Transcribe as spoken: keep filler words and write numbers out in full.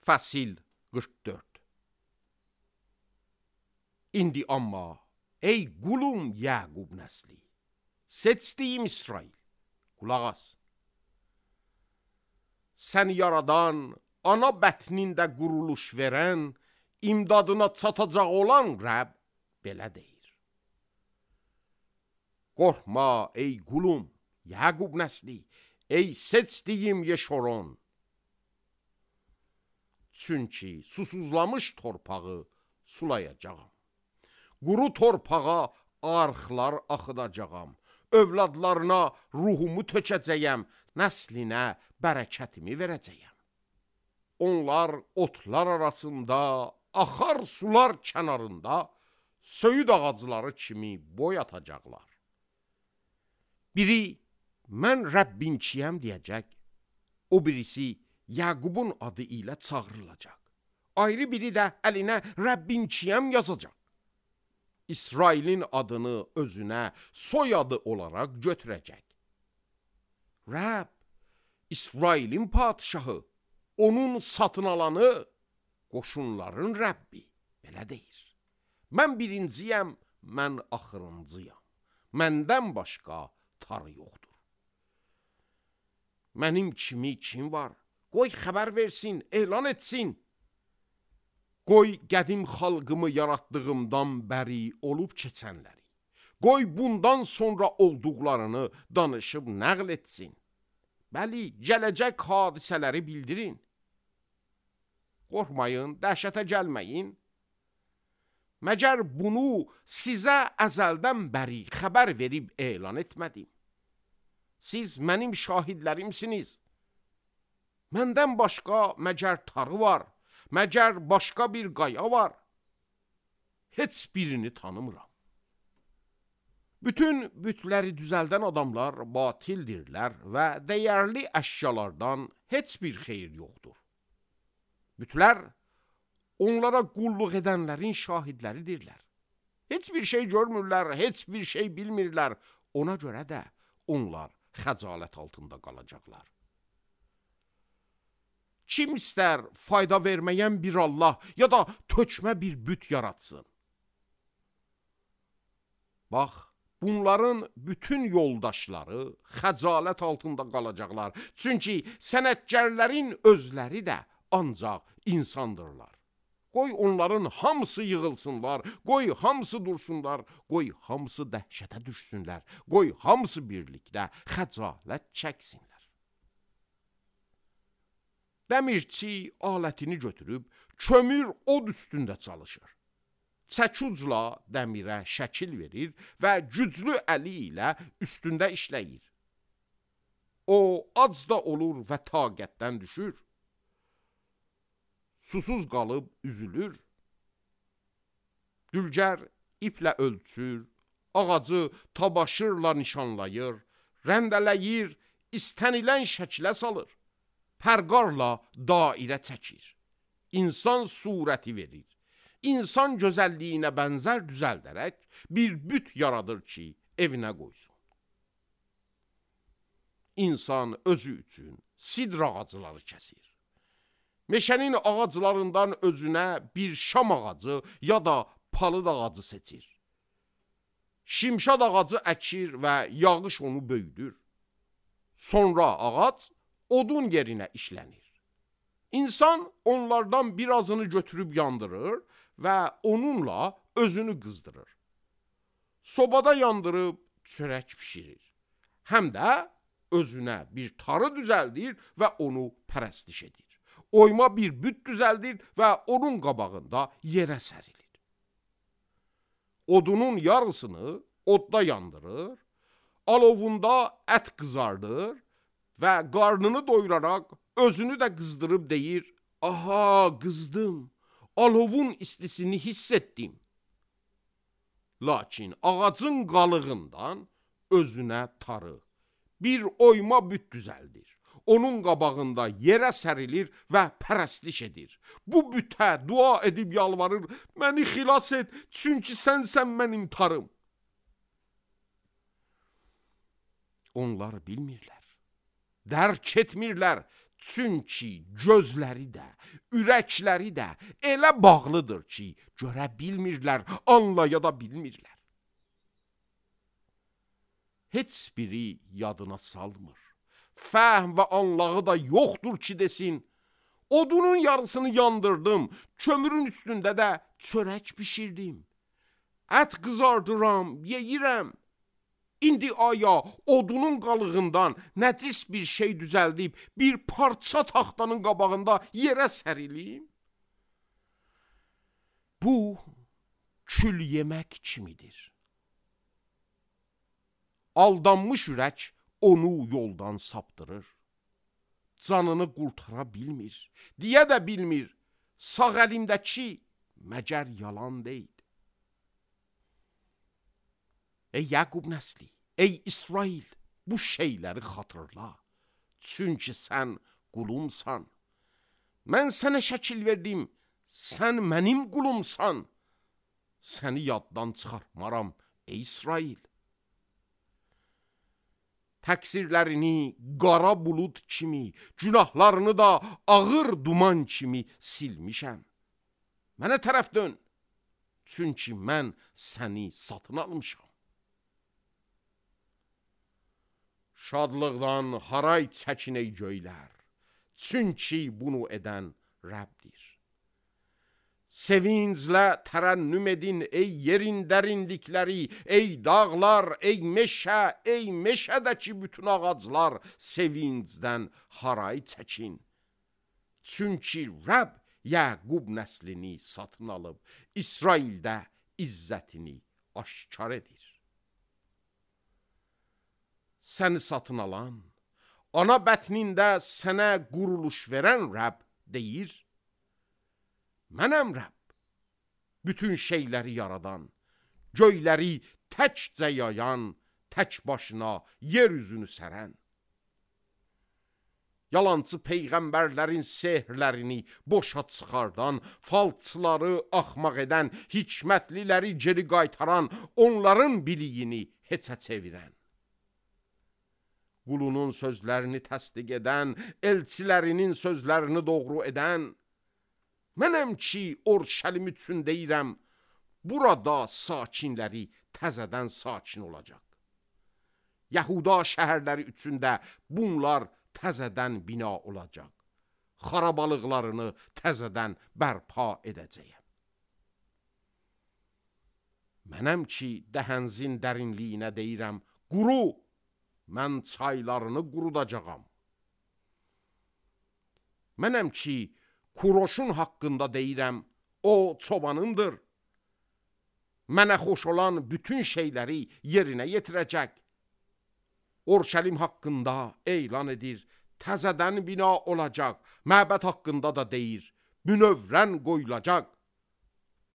Fəsil qırx dörd. İndi amma ey qulum Yəqub nəsli, seçdiyim İsrail, qulaq as. Sən yaradan, ana bətnində quruluş verən, imdadına çatacaq olan Rəbb belə deyir. Qorxma ey qulum Yəqub nəsli, ey seçdiyim Yeşoron. Çünki susuzlamış torpağı sulayacağam. Quru torpağa arxlar axıdacağam. Övladlarına ruhumu tökəcəyəm, nəslinə bərəkətimi verəcəyəm. Onlar otlar arasında, axar sular kənarında, söyüd ağacları kimi boy atacaqlar. Biri, mən Rəbbinçiyəm deyəcək, o birisi Yəqubun adı ilə çağırılacaq. Ayrı biri də əlinə Rəbbinçiyəm yazacaq. İsrailin adını özünə soyadı olaraq götürəcək. Rəbb, İsrailin padişahı, onun satın alanı, qoşunların Rəbbi, belə deyir. Mən birinciyəm, mən axırıncıyam. Məndən başqa tarı yoxdur. Mənim kimi kim var? Qoy xəbər versin, elan etsin. Qoy qədim xalqımı yaratdığımdan bəri olub keçənləri. Qoy bundan sonra olduqlarını danışıb nəql etsin. Bəli, gələcək hadisələri bildirin. Qorxmayın, dəhşətə gəlməyin. Məgər bunu sizə əzəldən bəri xəbər verib elan etmədim. Siz mənim şahidlərimsiniz. Məndən başqa məgər tarı var, məgər başqa bir qaya var. Heç birini tanımıram. Bütün bütləri düzəldən adamlar batildirlər və dəyərli əşyalardan heç bir xeyir yoxdur. Bütlər onlara qulluq edənlərin şahidləridirlər. Heç bir şey görmürlər, heç bir şey bilmirlər. Ona görə də onlar xəcalət altında qalacaqlar. Kim istər fayda verməyən bir Allah ya da tökmə bir büt yaratsın? Bax, bunların bütün yoldaşları xəcalət altında qalacaqlar. Çünki sənətkarların özləri də ancaq insandırlar. Qoy onların hamısı yığılsınlar, qoy hamısı dursunlar, qoy hamısı dəhşətə düşsünlər, qoy hamısı birlikdə xəcalət çəksinlər. Dəmirçi alətini götürüb, kömür od üstündə çalışır. Çəkucla dəmirə şəkil verir və güclü əli ilə üstündə işləyir. O, ac da olur və taqətdən düşür. Susuz qalıb üzülür. Dülgər iplə ölçür, ağacı tabaşırla nişanlayır, rəndələyir, istənilən şəkilə salır. Pərqarla dairə çəkir. İnsan surəti verir. İnsan gözəlliyinə bənzər düzəldərək bir büt yaradır ki, evinə qoysun. İnsan özü üçün sidr ağacları kəsir. Meşənin ağaclarından özünə bir şam ağacı ya da palıd ağacı seçir. Şimşad ağacı əkir və yağış onu böyüdür. Sonra ağac odun yerinə işlənir. İnsan onlardan birazını götürüb yandırır və onunla özünü qızdırır. Sobada yandırıb çörək pişirir. Həm də özünə bir tarı düzəldir və onu pərəstiş edir. Oyma bir büt düzəldir və onun qabağında yerə sərilir. Odunun yarısını odda yandırır, alovunda ət qızardır və qarnını doyuraraq özünü də qızdırıb deyir, aha qızdım, alovun istisini hiss etdim. Lakin ağacın qalığından özünə tarı, bir oyma büt düzəldir. Onun qabağında yerə sərilir və pərəstiş edir. Bu bütə dua edib yalvarır, məni xilas et, çünki sənsən mənim tarım. Onlar bilmirlər, dərk etmirlər, Çünki gözləri də, ürəkləri də elə bağlıdır ki, görə bilmirlər, anlaya da bilmirlər. Heç biri yadına salmır. Fəhm və anlağı da yoxdur ki, desin, odunun yarısını yandırdım, kömürün üstündə də çörək bişirdim. Ət qızardıram, yeyirəm. İndi aya odunun qalığından nəcis bir şey düzəldib, bir parça taxtanın qabağında yerə sərilim? Bu, kül yemək kimidir. Aldanmış ürək onu yoldan saptırır. Canını qurtara bilmir, deyə də bilmir, sağ əlimdəki məgər yalan deyil. Ey Yaqub nəsli, ey İsrail, bu şeyləri xatırla. Çünki sən qulumsan. Mən sənə şəkil verdim, sən mənim qulumsan. Səni yaddan çıxartmaram, ey İsrail. Təqsirlərini qara bulud kimi, günahlarını da ağır duman kimi silmişəm. Mənə tərəf dön, çünki mən səni satın almışam. Şadlıqdan haray çəkin ey göylər, çünki bunu edən Rəbdir. Sevinclə tərənnüm edin ey yerin dərinlikləri, ey dağlar, ey meşə, ey meşədəki bütün ağaclar, sevincdən haray çəkin. Çünki Rəbb Yaqub nəslini satın alıb, İsraildə izzətini aşkar edir. Səni satın alan, ana bətnində sənə quruluş verən Rəbb deyir, mənəm Rəbb, bütün şeyləri yaradan, göyləri təkcə yayan, tək başına yer üzünü sərən. Yalancı peyğəmbərlərin sehrlərini boşa çıxardan, falçıları axmaq edən, hikmətliləri geri qaytaran, onların biliyini heçə çevirən. Qulunun sözlərini təsdiq edən, elçilərinin sözlərini doğru edən, mənəm ki, Orşəlim üçün deyirəm, burada sakinləri təzədən sakin olacaq. Yahuda şəhərləri üçün də bunlar təzədən bina olacaq. Xarabalıqlarını təzədən bərpa edəcəyəm. Mənəm ki, dəhənzin dərinliyinə deyirəm, quru, mən çaylarını qurudacağam. Mənəm ki, Kuroşun haqqında deyirəm, o çobanımdır. Mənə xoş olan bütün şeyləri yerinə yetirəcək. Orşəlim haqqında elan edir, təzədən bina olacaq. Məbəd haqqında da deyir, münəvrən qoyulacaq.